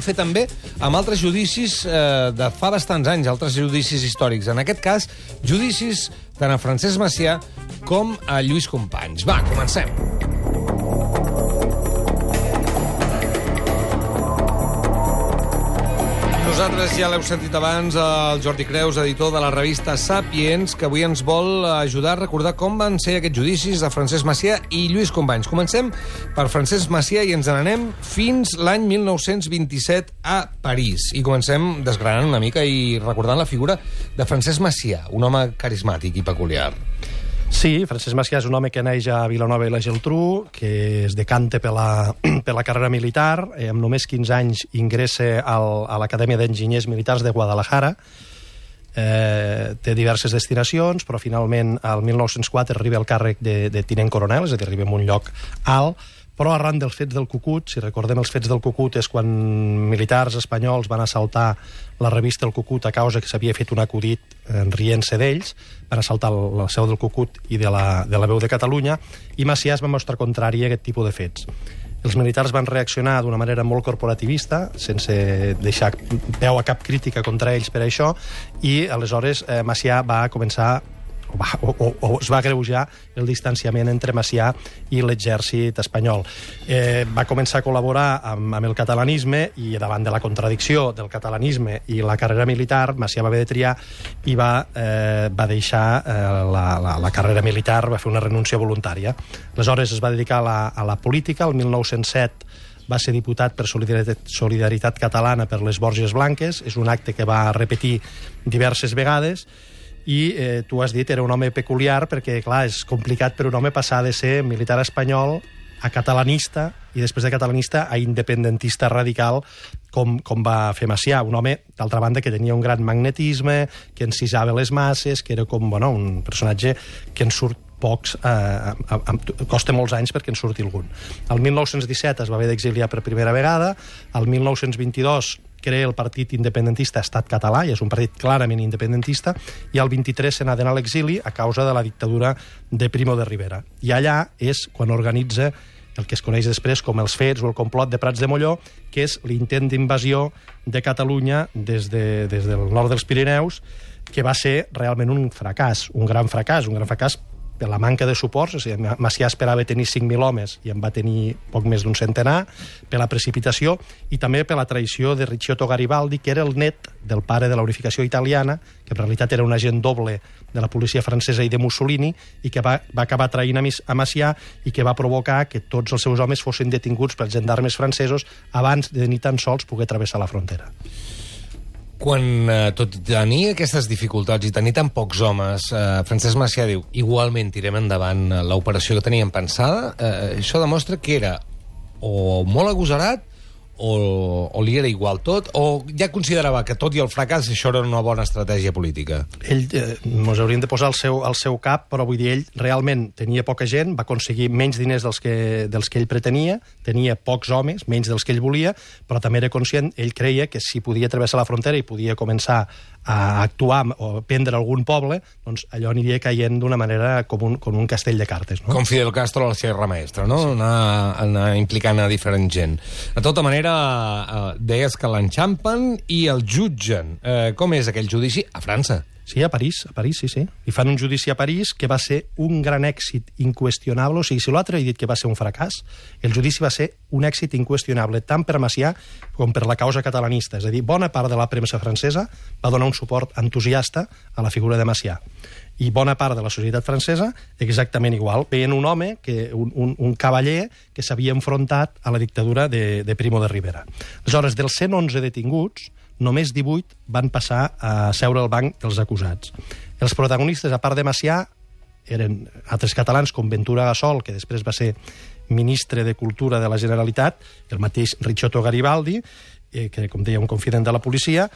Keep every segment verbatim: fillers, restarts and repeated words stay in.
Fer també amb altres judicis eh, de fa bastants anys, altres judicis històrics. En aquest cas, judicis tant a Francesc Macià com a Lluís Companys. Va, comencem. Nosaltres ja l'heu sentit abans, el Jordi Creus, editor de la revista Sapiens, que avui ens vol ajudar a recordar com van ser aquests judicis de Francesc Macià i Lluís Companys. Comencem per Francesc Macià i ens n'anem fins l'any mil nou-cents vint-i-set a París. I comencem desgranant una mica i recordant la figura de Francesc Macià, un home carismàtic i peculiar. Sí, Francesc Macià és un home que neix a Vilanova i la Geltrú, que es decanta per la, per la carrera militar. Eh, amb només quinze anys ingressa al, a l'Acadèmia d'Enginyers Militars de Guadalajara. Eh, té diverses destinacions, però finalment al mil nou-cents quatre arriba al càrrec de, de tinent coronel, és a dir, arriba en un lloc alt, però arran dels fets del Cucut, si recordem els fets del Cucut, és quan militars espanyols van assaltar la revista El Cucut a causa que s'havia fet un acudit eh, rient-se d'ells, van assaltar la seu del Cucut i de la, de la Veu de Catalunya, i Macià es va mostrar contrari a aquest tipus de fets. Els militars van reaccionar d'una manera molt corporativista, sense deixar peu a cap crítica contra ells per això, i aleshores eh, Macià va començar O, va, o, o, o es va agreujar el distanciament entre Macià i l'exèrcit espanyol. Eh, va començar a col·laborar amb, amb el catalanisme i davant de la contradicció del catalanisme i la carrera militar, Macià va haver de triar i va, eh, va deixar eh, la, la, la carrera militar, va fer una renúncia voluntària. Aleshores es va dedicar a la, a la política. El mil nou-cents set va ser diputat per Solidaritat, Solidaritat Catalana per les Borges Blanques. És un acte que va repetir diverses vegades. I eh, tu has dit, era un home peculiar perquè, clar, és complicat per un home passar de ser militar espanyol a catalanista i després de catalanista a independentista radical com, com va fer Macià. Un home, d'altra banda, que tenia un gran magnetisme, que encisava les masses, que era com, bueno, un personatge que en surt pocs, eh, a, a, costa molts anys perquè en surti algun. El mil nou-cents disset es va haver d'exiliar per primera vegada, el mil nou-cents vint-i-dos crea el partit independentista Estat Català, i és un partit clarament independentista, i el vint-i-tres se n'ha d'anar a l'exili a causa de la dictadura de Primo de Rivera. I allà és quan organitza el que es coneix després com els fets o el complot de Prats de Molló, que és l'intent d'invasió de Catalunya des, de, des del nord dels Pirineus, que va ser realment un fracàs, un gran fracàs, un gran fracàs per la manca de suports. O sigui, Macià esperava tenir cinc mil homes i en va tenir poc més d'un centenar, per la precipitació i també per la traïció de Ricciotto Garibaldi, que era el net del pare de la unificació italiana, que en realitat era un agent doble de la policia francesa i de Mussolini, i que va, va acabar traint a Macià i que va provocar que tots els seus homes fossin detinguts pels gendarmes francesos abans de ni tan sols poder travessar la frontera. Quan eh, tot tenir aquestes dificultats i tenir tan pocs homes, eh, Francesc Macià diu, igualment tirem endavant l'operació que teníem pensada, eh, això demostra que era o molt agosarat o, o li era igual tot, o ja considerava que tot i el fracàs això era una bona estratègia política? Ell, eh, ens hauríem de posar al seu, al seu cap, però vull dir, ell realment tenia poca gent, va aconseguir menys diners dels que, dels que ell pretenia, tenia pocs homes, menys dels que ell volia, però també era conscient, ell creia que si podia travessar la frontera i podia començar a actuar o prendre algun poble, doncs allò aniria caient d'una manera com un, com un castell de cartes. No? Com Fidel Castro a la Sierra Maestra, no? Sí. Anar, anar implicant a diferent gent. De tota manera, eh, deies que l'enxampen i el jutgen. Eh, com és aquell judici? A França. Sí, a París, a París, sí, sí. I fan un judici a París que va ser un gran èxit inqüestionable. O sigui, si l'altre he dit que va ser un fracàs, el judici va ser un èxit inqüestionable, tant per Macià com per la causa catalanista. És a dir, bona part de la premsa francesa va donar un suport entusiasta a la figura de Macià. I bona part de la societat francesa exactament igual. Veien un home, que, un, un, un cavaller que s'havia enfrontat a la dictadura de, de Primo de Rivera. Aleshores, dels cent onze detinguts, només divuit van passar a seure al banc dels acusats. Els protagonistes, a part de Macià, eren altres catalans com Ventura Gassol, que després va ser ministre de Cultura de la Generalitat, el mateix Ricciotto Garibaldi, eh, que, com deia, un confident de la policia,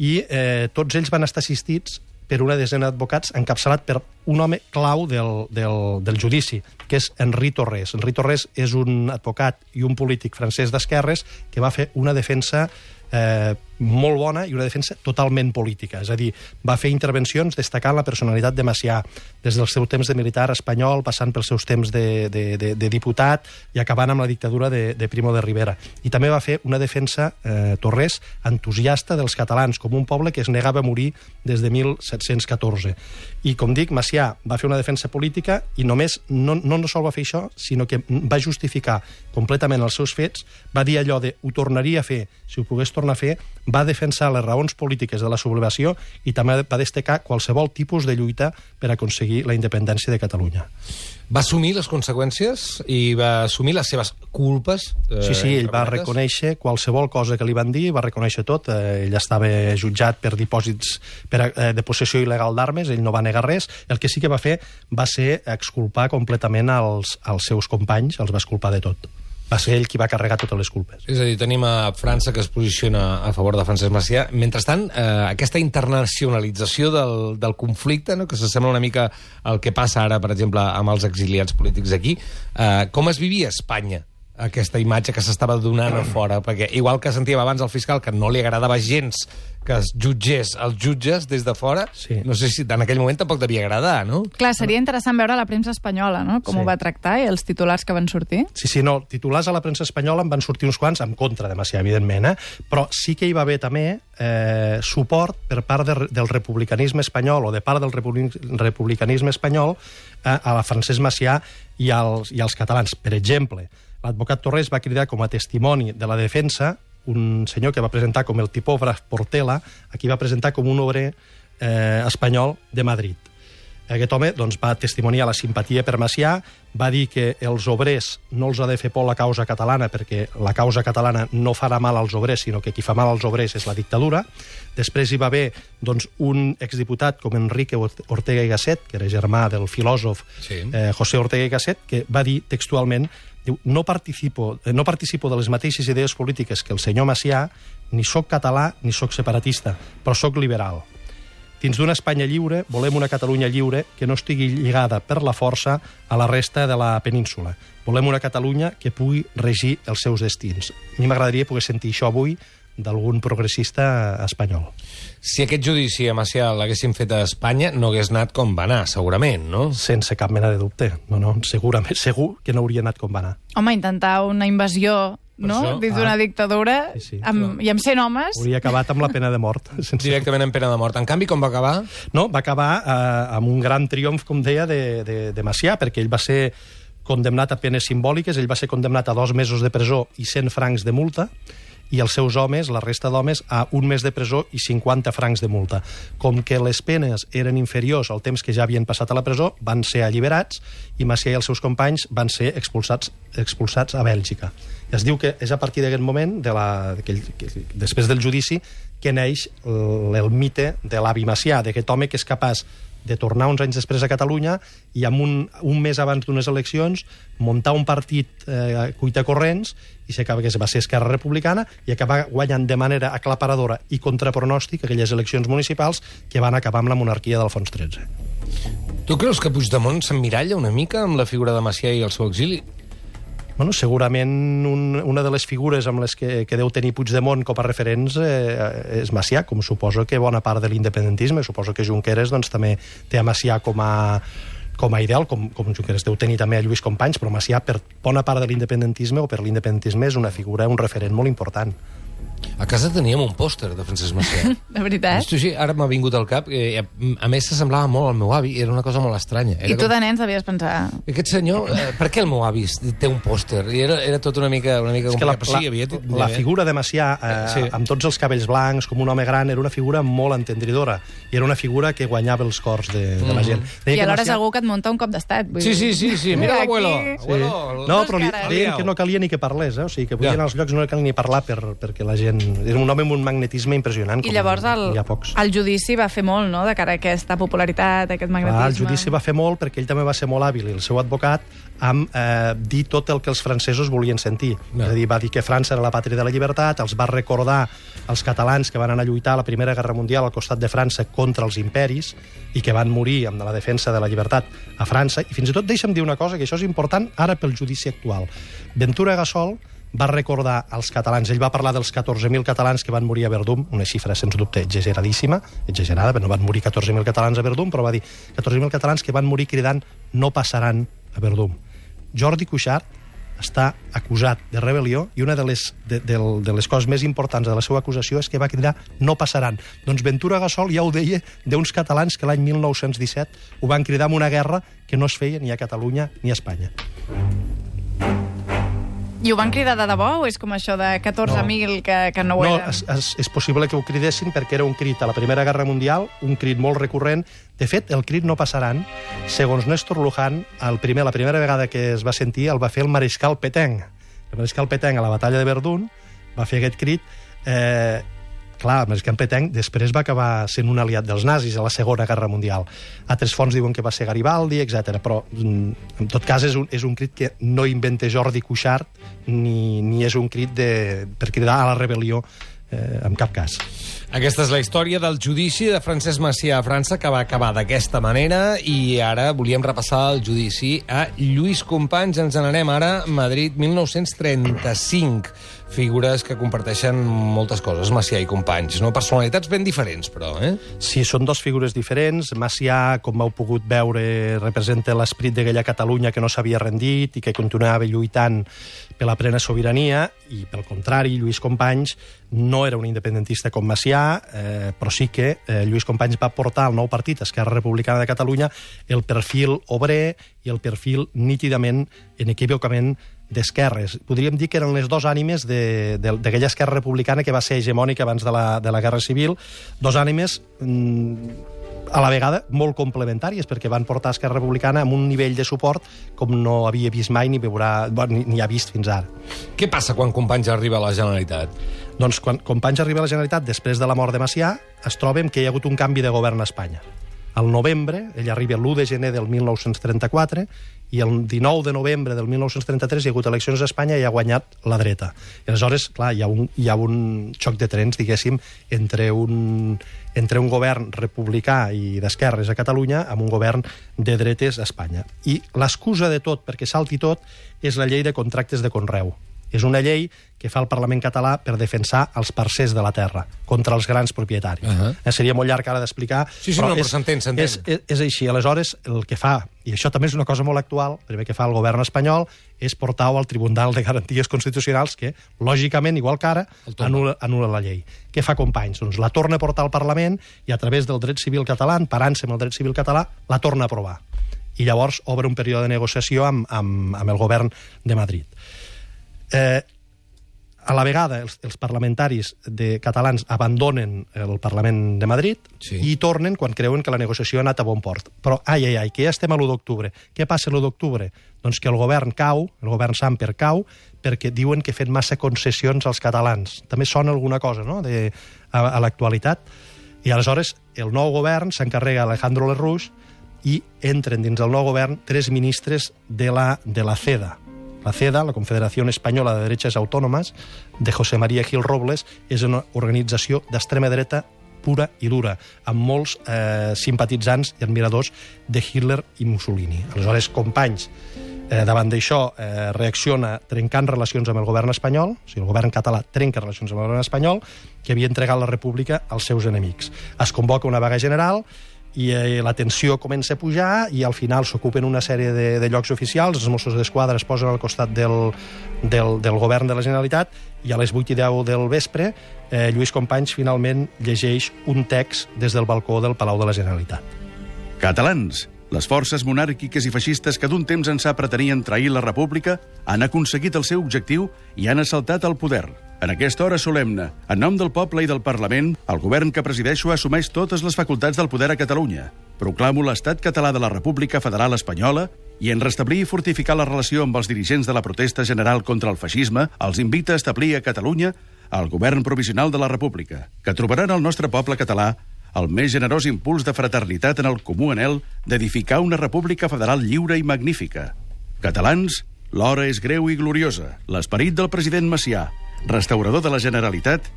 i eh, tots ells van estar assistits per una desena d'advocats encapçalat per un home clau del, del, del judici, que és Henri Torres. Henri Torres és un advocat i un polític francès d'esquerres que va fer una defensa eh, molt bona i una defensa totalment política. És a dir, va fer intervencions destacant la personalitat de Macià, des del seu temps de militar espanyol, passant pels seus temps de, de, de, de diputat i acabant amb la dictadura de, de Primo de Rivera. I també va fer una defensa, eh, Torres, entusiasta dels catalans, com un poble que es negava a morir des de mil set-cents catorze. I, com dic, Macià va fer una defensa política i només no, no, no sol va fer això, sinó que va justificar completament els seus fets, va dir allò de ho tornaria a fer si ho pogués tornar a fer, va defensar les raons polítiques de la sublevació i també va destacar qualsevol tipus de lluita per aconseguir la independència de Catalunya. Va assumir les conseqüències i va assumir les seves culpes? Eh, sí, sí, ell va reconèixer qualsevol cosa que li van dir, va reconèixer tot. Eh, ell estava jutjat per dipòsits per, eh, de possessió il·legal d'armes, ell no va negar res. El que sí que va fer va ser exculpar completament els, els seus companys, els va exculpar de tot. Va ser ell qui va carregar totes les culpes. És a dir, tenim a França que es posiciona a favor de Francesc Macià. Mentrestant, eh, aquesta internacionalització del, del conflicte, no?, que s'assembla una mica al que passa ara, per exemple, amb els exiliats polítics aquí, eh, com es vivia a Espanya aquesta imatge que s'estava donant a fora? Perquè, igual que sentíem abans el fiscal que no li agradava gens que es jutgés els jutges des de fora, sí. No sé si en aquell moment tampoc devia agradar, no? Clar, seria interessant veure la premsa espanyola, no?, com sí. ho va tractar i els titulars que van sortir. Sí, sí, no, titulars a la premsa espanyola en van sortir uns quants, en contra de Macià, evidentment, eh? Però sí que hi va haver també eh, suport per part de, del republicanisme espanyol o de part del republic, republicanisme espanyol eh, a la Francesc Macià i als, i als catalans. Per exemple, l'advocat Torres va cridar com a testimoni de la defensa un senyor que va presentar com el tipògraf Portela, aquí va presentar com un obrer eh, espanyol de Madrid. Aquest home doncs, va testimoniar la simpatia per Macià, va dir que els obrers no els ha de fer por la causa catalana perquè la causa catalana no farà mal als obrers, sinó que qui fa mal als obrers és la dictadura. Després hi va haver doncs, un exdiputat com Enrique Ortega y Gasset, que era germà del filòsof sí. eh, José Ortega y Gasset, que va dir textualment: diu, no participo, no participo de les mateixes idees polítiques que el senyor Macià, ni sóc català ni sóc separatista, però sóc liberal. Dins d'una Espanya lliure, volem una Catalunya lliure que no estigui lligada per la força a la resta de la península. Volem una Catalunya que pugui regir els seus destins. A mi m'agradaria poder sentir això avui d'algun progressista espanyol. Si aquest judici a Macià l'haguessin fet a Espanya, no hagués anat com va anar, segurament, no? Sense cap mena de dubte. No, no, segurament, segur que no hauria anat com va anar. Home, intentar una invasió, no?, això, dins d'una ah, dictadura, sí, sí. Amb, i amb cent homes... Hauria acabat amb la pena de mort. Sense... Directament amb pena de mort. En canvi, com va acabar? No, va acabar eh, amb un gran triomf, com deia, de, de, de Macià, perquè ell va ser condemnat a penes simbòliques, ell va ser condemnat a dos mesos de presó i cent francs de multa, i els seus homes, la resta d'homes, a un mes de presó i cinquanta francs de multa. Com que les penes eren inferiors al temps que ja havien passat a la presó, van ser alliberats i Macià i els seus companys van ser expulsats, expulsats a Bèlgica. I es diu que és a partir d'aquest moment, de la, que, que, després del judici, que neix el, el mite de l'avi Macià, d'aquest home que és capaç de tornar uns anys després a Catalunya i amb un, un mes abans d'unes eleccions muntar un partit eh, cuitacorrents i s'acaba que va ser Esquerra Republicana i acabar guanyant de manera aclaparadora i contrapronòstic aquelles eleccions municipals que van acabar amb la monarquia d'Alfons tretze. Tu creus que Puigdemont s'emmiralla una mica amb la figura de Macià i el seu exili? Bueno, segurament un, una de les figures amb les que, que deu tenir Puigdemont com a referents eh, és Macià, com suposo que bona part de l'independentisme. Suposo que Junqueras doncs, també té a Macià com a, com a ideal, com, com Junqueras deu tenir també a Lluís Companys, però Macià, per bona part de l'independentisme o per l'independentisme, és una figura, un referent molt important. A casa teníem un pòster de Francesc Macià. De veritat? Esto sí, ara m'ha vingut al cap. Eh, a més, s'assemblava molt al meu avi. Era una cosa molt estranya. Era I tu com... de nens devies pensar... Aquest senyor, eh, per què el meu avi té un pòster? I era, era tot una mica, una mica complicat. La, sí, havia... la figura de Macià, eh, sí. amb tots els cabells blancs, com un home gran, era una figura molt entendridora. I era una figura que guanyava els cors de, de mm. la gent. Deia I alhora Macià... és algú que et munta un cop d'estat. Sí, sí, sí, sí. Mira l'abuelo. Sí. Abuelo, no, però li, deien que no calia ni que parlés, eh? O sigui, que podien ja. als llocs no calia ni parlar per, perquè la gent... Era un home amb un magnetisme impressionant. I llavors el, el judici va fer molt, no?, de cara a aquesta popularitat, a aquest magnetisme. Ah, el judici va fer molt perquè ell també va ser molt hàbil, i el seu advocat, amb eh, dir tot el que els francesos volien sentir. No. És a dir, va dir que França era la pàtria de la llibertat, els va recordar els catalans que van anar a lluitar a la Primera Guerra Mundial al costat de França contra els imperis i que van morir amb la defensa de la llibertat a França. I fins i tot deixa'm dir una cosa, que això és important ara pel judici actual. Ventura Gasol va recordar als catalans, ell va parlar dels catorze mil catalans que van morir a Verdun, una xifra sens dubte exageradíssima, exagerada, però no van morir catorze mil catalans a Verdun, però va dir catorze mil catalans que van morir cridant no passaran a Verdun. Jordi Cuixart està acusat de rebel·lió i una de les, de, de, de les coses més importants de la seva acusació és que va cridar no passaran. Doncs Ventura Gasol ja ho deia d'uns catalans que l'any mil nou-cents disset ho van cridar en una guerra que no es feia ni a Catalunya ni a Espanya. I ho van cridar de debò o és com això de catorze mil no. que, que no ho no, eren? No, és, és possible que ho cridessin perquè era un crit a la Primera Guerra Mundial, un crit molt recurrent. De fet, el crit no passaran, segons Néstor Luján, el primer, la primera vegada que es va sentir el va fer el mariscal Pétain. El mariscal Pétain a la batalla de Verdun va fer aquest crit. Eh, clar, el mariscal Pétain després va acabar sent un aliat dels nazis a la Segona Guerra Mundial. Altres fonts diuen que va ser Garibaldi, etcètera. Però, en tot cas, és un, és un crit que no inventa Jordi Cuixart ni, ni és un crit de, per cridar a la rebel·lió eh, en cap cas. Aquesta és la història del judici de Francesc Macià a França, que va acabar d'aquesta manera, i ara volíem repassar el judici a Lluís Companys. Ens n'anem ara a Madrid, mil nou-cents trenta-cinc. Figures que comparteixen moltes coses, Macià i Companys, no? Personalitats ben diferents, però, eh? Sí, són dos figures diferents. Macià, com heu pogut veure, representa l'esperit d'aquella Catalunya que no s'havia rendit i que continuava lluitant per la plena sobirania, i, pel contrari, Lluís Companys no era un independentista com Macià, eh, però sí que eh, Lluís Companys va portar al nou partit, Esquerra Republicana de Catalunya, el perfil obrer i el perfil nítidament, inequívocament, d'esquerres. Podríem dir que eren les dues ànimes d'aquella Esquerra Republicana que va ser hegemònica abans de la, de la Guerra Civil, dos ànimes mmm, a la vegada molt complementàries, perquè van portar Esquerra Republicana amb un nivell de suport com no havia vist mai ni, veurà, ni, ni ha vist fins ara. Què passa quan Companys arriba a la Generalitat? Doncs quan Companys arriba a la Generalitat, després de la mort de Macià, es trobem que hi ha hagut un canvi de govern a Espanya. Al novembre, ell arriba l'u de gener del mil nou-cents trenta-quatre, i el dinou de novembre del mil nou-cents trenta-tres hi ha hagut eleccions a Espanya i ha guanyat la dreta. I aleshores, clar, hi ha un, hi ha un xoc de trens, diguéssim, entre un, entre un govern republicà i d'esquerres a Catalunya amb un govern de dretes a Espanya. I l'excusa de tot, perquè salti tot, és la llei de contractes de conreu. És una llei que fa el Parlament català per defensar els parcers de la terra contra els grans propietaris. Uh -huh. eh, seria molt llarg ara d'explicar. Sí, sí, però, no, però s'entén, s'entén. És, és, és així. Aleshores, el que fa, i això també és una cosa molt actual, el primer que fa el govern espanyol és portar-ho al Tribunal de Garanties Constitucionals, que, lògicament, igual que ara, anul·la, anul·la la llei. Què fa Companys? Doncs la torna a portar al Parlament i, a través del dret civil català, parant-se amb el dret civil català, la torna a aprovar. I llavors obre un període de negociació amb, amb, amb el govern de Madrid. Eh, a la vegada els, els parlamentaris de catalans abandonen el Parlament de Madrid, sí, i tornen quan creuen que la negociació ha anat a bon port. Però, ai, ai, ai, que ja estem a l'u d'octubre. Què passa l'u d'octubre? Doncs que el govern cau, el govern Samper cau, perquè diuen que fan massa concessions als catalans. També sona alguna cosa, no?, de, a, a l'actualitat. I aleshores el nou govern s'encarrega Alejandro Lerroux i entren dins del nou govern tres ministres de la, de la CEDA. La CEDA, la Confederació Espanyola de Derechas Autónomas, de José María Gil Robles, és una organització d'extrema dreta pura i dura, amb molts eh, simpatitzants i admiradors de Hitler i Mussolini. Aleshores, Companys, eh, davant d'això, eh, reacciona trencant relacions amb el govern espanyol, o sigui, el govern català trenca relacions amb el govern espanyol, que havia entregat la república als seus enemics. Es convoca una vaga general, i eh, la tensió comença a pujar i al final s'ocupen una sèrie de, de llocs oficials, els Mossos d'Esquadra es posen al costat del, del, del govern de la Generalitat, i a les vuit i deu del vespre eh, Lluís Companys finalment llegeix un text des del balcó del Palau de la Generalitat. Catalans, les forces monàrquiques i feixistes que d'un temps ençà pretenien trair la república han aconseguit el seu objectiu i han assaltat el poder. En aquesta hora solemne, en nom del poble i del Parlament, el govern que presideixo assumeix totes les facultats del poder a Catalunya. Proclamo l'estat català de la República Federal Espanyola i, en restablir i fortificar la relació amb els dirigents de la protesta general contra el feixisme, els invita a establir a Catalunya el govern provisional de la República, que trobarà en el nostre poble català el més generós impuls de fraternitat en el comú anhel d'edificar una república federal lliure i magnífica. Catalans, l'hora és greu i gloriosa. L'esperit del president Macià, restaurador de la Generalitat,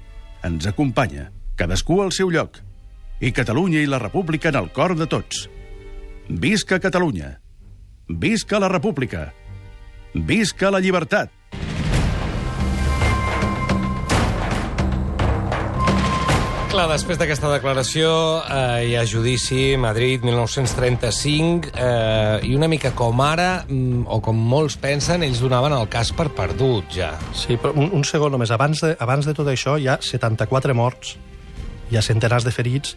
ens acompanya, cadascú al seu lloc, i Catalunya i la República en el cor de tots. Visca Catalunya! Visca la República! Visca la llibertat! clar, després d'aquesta declaració eh, hi ha judici, Madrid, mil nou-cents trenta-cinc, eh, i una mica com ara, o com molts pensen, ells donaven el cas per perdut, ja. Sí, però un, un segon només. Abans de, abans de tot això hi ha setanta-quatre morts, hi ha centenars de ferits,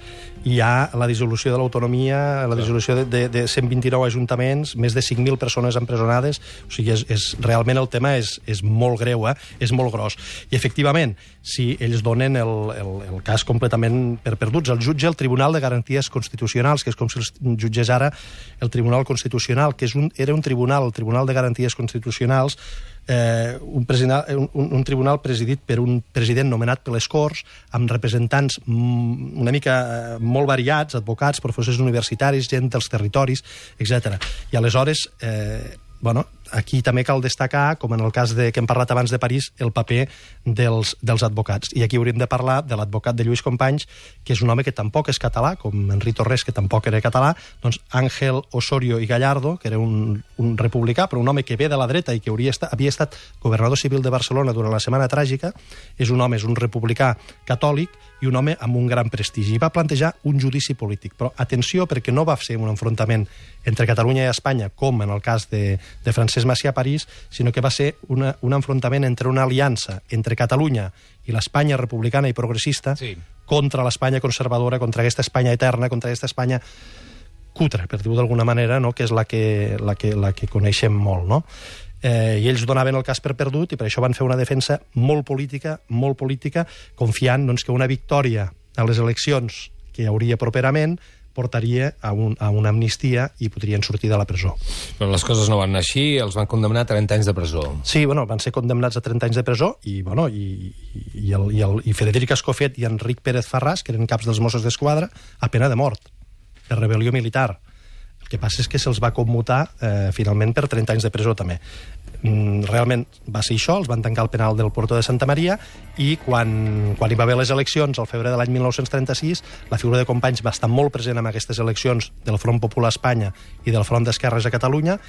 hi ha la dissolució de l'autonomia, la dissolució de, de, de cent vint-i-nou ajuntaments, més de cinc mil persones empresonades. O sigui, és, és, realment el tema és, és molt greu, eh? És molt gros. I, efectivament, si ells donen el, el, el cas completament per perduts, el jutge, el Tribunal de Garanties Constitucionals, que és com si els jutgés ara el Tribunal Constitucional, que és un, era un tribunal, el Tribunal de Garanties Constitucionals, Eh, un, un, un tribunal presidit per un president nomenat per les Corts, amb representants una mica eh, molt variats, advocats, professors universitaris, gent dels territoris, etcètera. I aleshores, eh, bueno, aquí també cal destacar, com en el cas de, que hem parlat abans de París, el paper dels, dels advocats. I aquí hauríem de parlar de l'advocat de Lluís Companys, que és un home que tampoc és català, com Enric Torres, que tampoc era català, doncs Ángel Osorio i Gallardo, que era un, un republicà, però un home que ve de la dreta i que hauria estat, havia estat governador civil de Barcelona durant la Setmana Tràgica, és un home, és un republicà catòlic i un home amb un gran prestigi. I va plantejar un judici polític. Però atenció, perquè no va ser un enfrontament entre Catalunya i Espanya, com en el cas de, de Francesc Macià a París, sinó que va ser una, un enfrontament entre una aliança entre Catalunya i l'Espanya republicana i progressista, sí, contra l'Espanya conservadora, contra aquesta Espanya eterna, contra aquesta Espanya cutre, per dir-ho d'alguna manera, no? Que és la que, la, que, la que coneixem molt, no? Eh, i ells donaven el cas per perdut i per això van fer una defensa molt política, molt política, confiant doncs, que una victòria a les eleccions que hi hauria properament portaria a, un, a una amnistia i podrien sortir de la presó. Però les coses no van anar així, els van condemnar a trenta anys de presó. Sí, bueno, van ser condemnats a trenta anys de presó i, bueno, i, i, el, i, el, i Frederic Escofet i Enric Pérez Farràs, que eren caps dels Mossos d'Esquadra, a pena de mort, per rebel·lió militar. El que passa és que se'ls va commutar eh, finalment per trenta anys de presó també. Mm, realment va ser això, els van tancar el penal del Puerto de Santa Maria i quan, quan hi va haver les eleccions al febrer de l'any mil nou-cents trenta-sis, la figura de Companys va estar molt present en aquestes eleccions del Front Popular a Espanya i del Front d'Esquerres a Catalunya.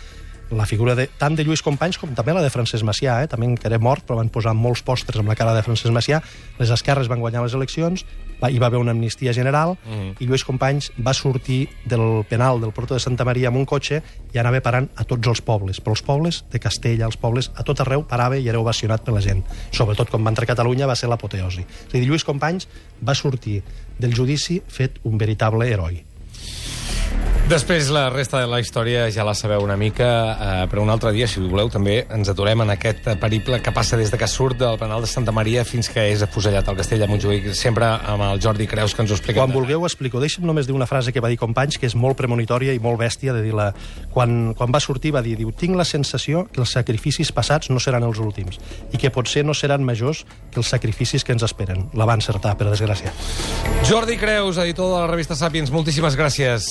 La figura de, tant de Lluís Companys com també la de Francesc Macià, eh? També encara mort, però van posar molts pòsters amb la cara de Francesc Macià. Les esquerres van guanyar les eleccions, va, hi va haver una amnistia general, mm. i Lluís Companys va sortir del penal del Puerto de Santa Maria amb un cotxe i anava parant a tots els pobles, però els pobles de Castella, els pobles a tot arreu, parava i era ovacionat per la gent. Sobretot quan va entrar a Catalunya va ser l'apoteosi. És a dir, Lluís Companys va sortir del judici fet un veritable heroi. Després, la resta de la història ja la sabeu una mica, eh, però un altre dia, si voleu, també ens aturem en aquest periple que passa des de que surt del penal de Santa Maria fins que és afusellat al Castell de Montjuïc, sempre amb el Jordi Creus, que ens ho explica. Quan vulgueu explico. Deixa'm només dir una frase que va dir Companys, que és molt premonitòria i molt bèstia, de dir-la. Quan, quan va sortir va dir, diu, tinc la sensació que els sacrificis passats no seran els últims i que potser no seran majors que els sacrificis que ens esperen. La va encertar, per desgràcia. Jordi Creus, editor de la revista Sàpiens, moltíssimes gràcies.